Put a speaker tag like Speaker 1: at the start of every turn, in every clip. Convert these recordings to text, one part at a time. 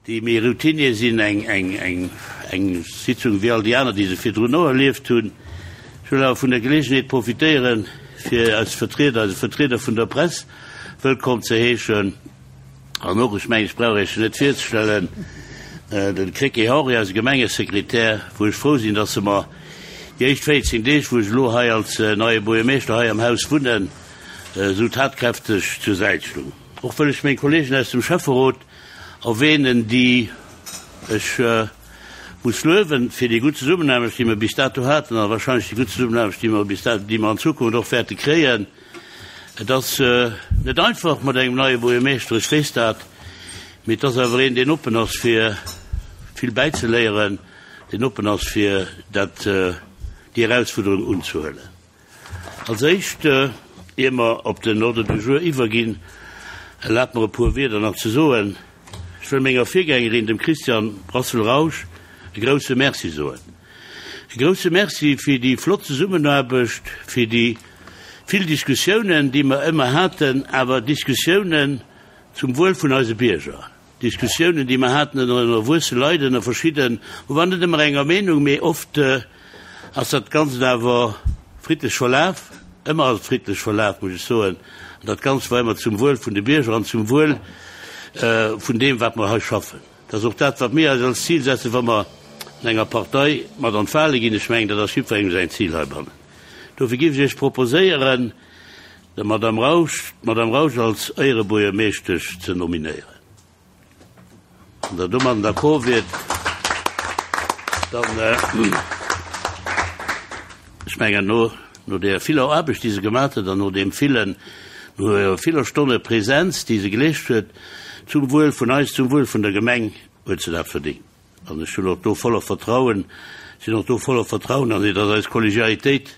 Speaker 1: Déi méi Routinier sinn, eng, eng, eng, eng Sitzung wéi all déi aner, déi se virdrun och erlieft hunn. Ech wëll awer vun der Geleegenheet profitéieren, fir eis Vertrieder, eise Vertrieder vun der Press wëllkomm ze heeschen an och, ech mengen, ech brauch Iech net virzestellen, de Krecké Henri, eise Gemengesekretär, wou ech frou sinn, dass e mer déi éischt 14 Deeg, wou ech elo hei als neie Buergermeeschter hei am Haus wunnen, esou tatkräfteg zur Säit stoung. Och wëll ech meng Kollegen aus dem Schäfferot erwähnen, déi ech muss luewen fir déi gutt Zesummenaarbecht, déi mer bis dato haten a wahrscheinlech déi gutt Zesummenaarbecht, déi mer bis dato, déi mer an Zukunft och wäerte kréien. Et ass net einfach mat engem neie Buergermeeschter, ech weess dat, mee et ass awer een, deen oppen ass fir vill bäizeléieren, deen oppen ass fir dat, déi Erausfuerderung unzehuelen. Als éischt, ier mer op den Ordre du jour iwwerginn, erlaabt mer e puer Wierder nach ze soen. Ech wëll menger Virgängerin, dem Christian Brassel-Rausch, e grouse Merci soen. E grouse Merci fir déi flott Zesummenaarbecht, fir déi vill Diskussiounen, déi mer ëmmer haten, awer Diskussiounen zum Wuel vun eise Bierger. Diskussiounen, déi mer haten ënner erwuesse Leit, ënner verschidden, mer waren net ëmmer enger Meenung, mee oft ass dat Ganzt awer friddlech verlaf, ëmmer ass et friddlech verlaf, muss ech soen, an dat Ganzt war ëmmer zum Wuel vun de Bierger an zum Wuel vun deem, wat mer hei schaffen. Dat ass och dat, wat mir eis als Zil setzen, wa mer an enger Partei mat an d'Wale ginn. Ech mengen, dat ass jiddwerengem säin Zil heibannen. Dofir géif ech Iech proposéieren, der Madame Rausch, d'Madame Rausch als Éierebuergermeeschtesch ze nominéieren. Wann Der domadden d'accord wiert, dann, ech mengen, no, no där viller Aarbecht, déi se gemaach huet, an no deem villen, no hirer viller Stonne Präsenz, déi se geleescht huet, zum Wuel vun eis, zum Wuel vun der Gemeng, huet se dat verdéngt. An ech hunn och do voller Vertrauen, sinn och do voller Vertrauen an si, dass eis Kollegialitéit,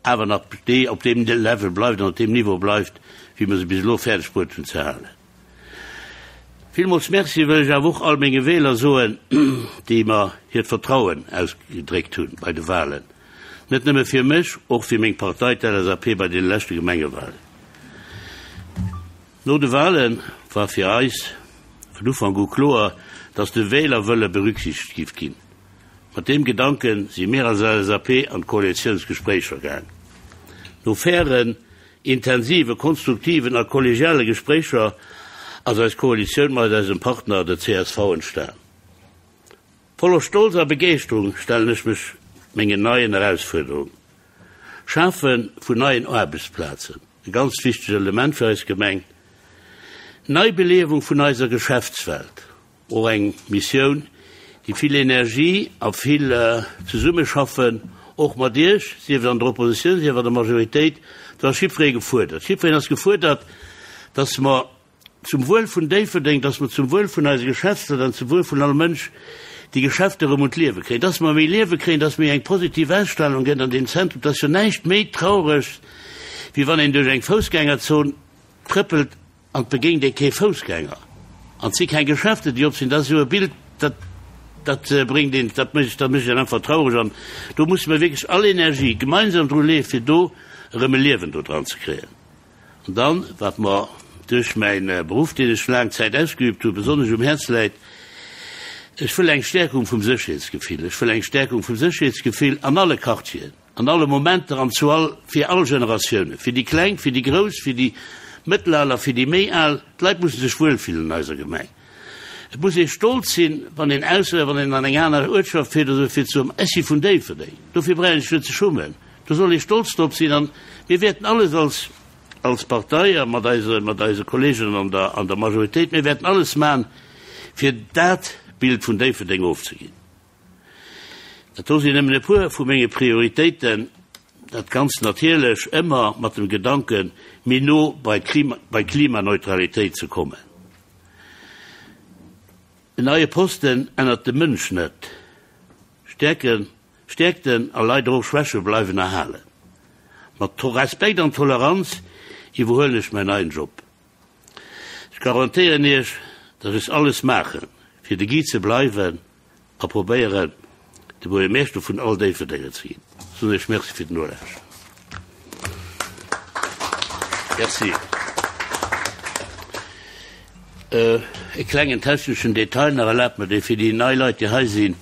Speaker 1: awer nach déi op deem Level bleift an op deem Niveau bleift, wéi mer se bis elo fäerdeg bruet hunn ze halen. Villmools Merci wëll ech awer och all menge Wähler soen, déi mer hiert Vertrauen ausgedréckt hunn bei de Wahlen, net nëmme fir mech, och fir meng Partei, d'LSAP, bei deene leschte Gemengewahlen. No de Wahle war fir eis vun Ufank u kloer, dass de Wählerwëlle berücksichtegt giff ginn. Mat deem Gedanke si mir als LSAP an d'Koalitiounsgespréicher gaang. No fairen, intensive, konstruktiven a kollegiale Gespréicher ass eis Koalitioun mat eisem Partner, der csv, entstan. Voller Stolz a Begeeschterung stellen ech mech mengen neien Erausfuerderungen. Schafe vun neien Aarbechtsplazen, e ganz wichtegt Element fir eis Gemeng. Neibeliewung vun eiser Geschäftswelt, Och eng Missioun, déi vill Energie a vill Zesummeschaffen, och mat Iech, sief et an der Oppositioun, sief an der Majoritéit, do ass jiddweree gefuerdert. Jiddwereen ass gefuerdert, dass mer zum Wuel vun Déifferdeng, dass mer zum Wuel vun eise Geschäftsleit an zum Wuel vun all Mënsch déi Geschäfter erëm un d'Liewe kréien, dass mer méi Liewe kréien, dass méi eng positiv Ausstrahlung gëtt an deem Zentrum. Et ass jo näischt méi Traureges, wéi wann een duerch eng Foussgängerzon trëppelt An et begéint ee kee Foussgänger. An et si keng Geschäfte, déi op sinn. Dat ass jo e Bild, dat, dat bréngt een, dat mécht, dat mécht een einfach traureg. An do musse mer wierklech all Energie gemeinsam dru leeë fir do erëm e Liewen do dran ze kréien. An dann, wat mer duerch mäi Beruff, deen ech laang Zäit ausgeübt hunn, besonnesch um Häerz läit, Ech wëll eng Stärkung vum Sécherheetsgefill. Ech wëll eng Stärkung vum Sécherheetsgefill an alle Quartieren. An alle Momenter an zu all, fir all Generatiounen, fir déi Kleng, fir déi Grouss, fir déi Mëttelal a fir déi méi Al. D'Leit musse sech wuelfillen an eiser Gemeng. Et muss ee stolz sinn, wann een aus, wann een an eng aner Uertschaft fiert oder esou, fir ze soen, Ech si vun Déifferdeng. Dofir brauch een sech net ze schummen. Do soll ee stolz drop sinn. An mir wäerten alles als, als Partei a mat eise, mat eise Kollegen an der, an der Majoritéit, mir wäerten alles maachen, fir dat Bild vun Déifferdeng ofzeginn. Dat do sinn nëmmen e puer vu menge Prioritéiten, dat Ganzt natierlech ëmmer mat dem Gedanken, méi no bei d'Klimaneutralitéit ze kommen. En neie Posten ännert de Mënsch net. Stäerken, Stäerkten a leider och Schwäche bleiwen erhalen. Mat Respekt an Toleranz iwwerhuelen ech mäin neien Job. Ech garantéieren Iech, datt ech alles maachen, fir de Guy ze bleiwen a probéieren, de Buergermeeschter vun all Déifferdenger ze ginn. Soen Iech Merci fir den Nolauschteren. Merci. E klengen techneschen Detail nach, erlaabt mer dee fir déi nei Leit, déi hei sinn,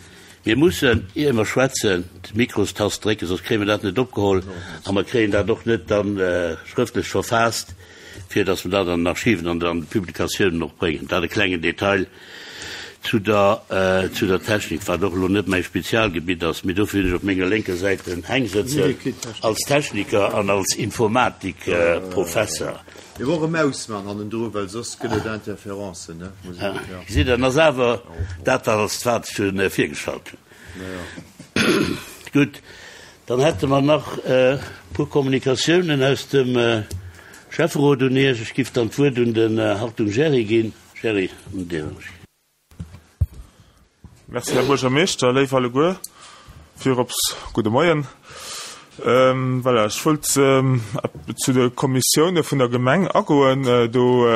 Speaker 1: Mir mussen, ier mer schwätzen, d'Mikrostast drécken, soss kréie mer dat net opgeholl a mer kréien dat och net da schrëftlech verfaasst, fir datt mer dat an den Archiven an an de Publikatiounen och bréngen. Dat e klengen Detail zu der, zu der Technik, wat och elo net mäi Spezialgebitt ass, mee dofir hunn ech op menger lénker Säit den Heng sëtzen als Techniker an als Informatikprofesser.
Speaker 2: Mir brauche Maus man hannendru, well soss gëtt et Interferencen, ne? Muss
Speaker 1: ik, ja. Gesitt, dann ass awer dat, wat als wat ech hunn virgeschalt hunn. Gutt, dann hätte mer nach e puer Kommunikatiounen aus dem Schäfferot un Iech. Ech giff dann d'Wuert un den Hartung Gerry ginn. Gerry, un dir.
Speaker 3: Merci, Här Buergermeeschter. Léif alleguer, virops gudde Moien. Voilà, ech wollt zu de Kommissioune vun der Gemeng agoen. Do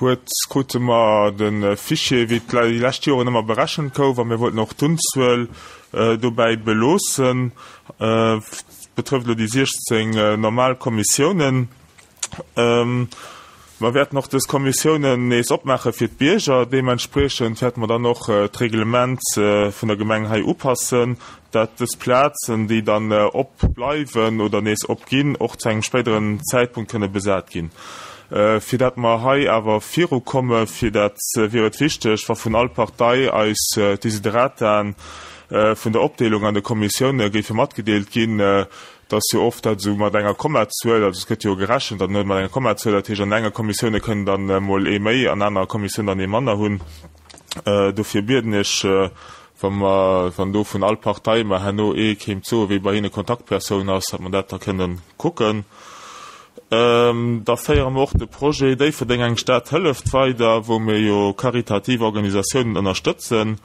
Speaker 3: huet, krute mer de Fichier, wéi et déi lescht Joren ëmmer berechent gouf, a mir wollten och d'Unzuel dobäi beloossen. Betrëfft elo déi 16 normal Kommissiounen. Mer wäerten och dës Kommissiounen nees opmaache fir d'Bierger. Deementspriechend wäerte mer dann och d'Reglement vun der Gemeng hei upassen, dat dës Plazen, déi dann op bleiwen oder nees opginn, och zu engem spéideren Zäitpunkt kënne besat ginn. Fir dat mer hei awer virukomme fir dat wier et wichteg, wa vun all Partei eis d'Desiderataen vun der Opdeelung an de Kommissioune géife matgedeelt ginn, Et ass jo oft dat esou mat enger Kommazuel, also et gëtt jo gerechent an mat enger Kommazuel, dat heescht an enger Kommissioune kënnen dann emol ee méi, an anerer Kommissioun dann ee manner hunn. Dofir bieden ech, wa mer, wann do vun all Partei mer herno ee kéint soen, wie bei hinne Kontaktpersoun ass, datt mer dat da kënnen kucken. Da féiere mer och de Projet Déifferdeng, eng Stad hëlleft weider, wou mir jo karitativ Organisatiounen ënnerstëtzen.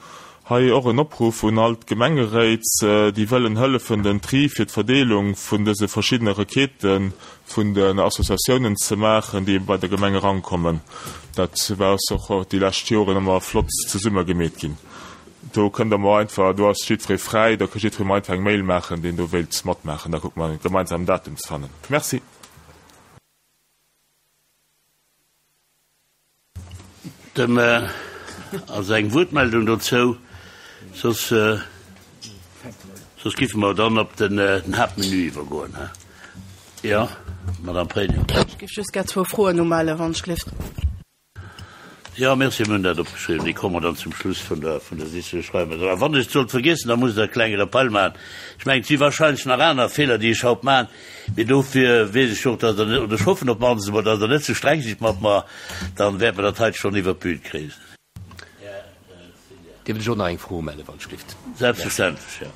Speaker 3: Hei och en Opruff un all d'Gemengeréit, déi wëllen hëllefen den Tri fir d'Verdeelung vun dëse verschiddene Requêtë vun den Associatiounen ze maachen, déi bei der Gemeng erankommen. Dat war ass och déi lescht Joren ëmmer flott zesumme gemeet ginn. Do kënnt der mer einfach, do ass jiddweree fräi, da ka jiddweree mer einfach eng Mail maachen, deen do wéilt matmaachen. Da kucke mer gemeinsam en Datum ze fannen. Merci.
Speaker 1: Dem also eng Wuertmeldung dozou, soss soss giffe mer dann op den Haaptmenu iwwergoen. Jo, Madame Pregno.
Speaker 4: Ech géif just gär zwou Froen umellen, wann ech gelift.
Speaker 1: Jo, merci, mir hunn dat opgeschriwwen. Déi komme dann zum Schluss vun der vun der Sitzung. Ech schreiwe mer dat. A wann ech et sollt vergiessen, da musst Der e klenge Rappel maachen. Ech mengen, et si wahrscheinlech nach aner Feeler, déi ech haut maachen. Mee dofir weess ech och, dass Der net, oder ech hoffen op d'mannst emol, dass Der net ze streng sidd mat mer, dann wäerte mer dat heite schonn iwwert d'Bün kréien.
Speaker 5: Dierft ech och nach eng Fro umellen, wann ech dierft?
Speaker 1: Selbstverständlech, jo.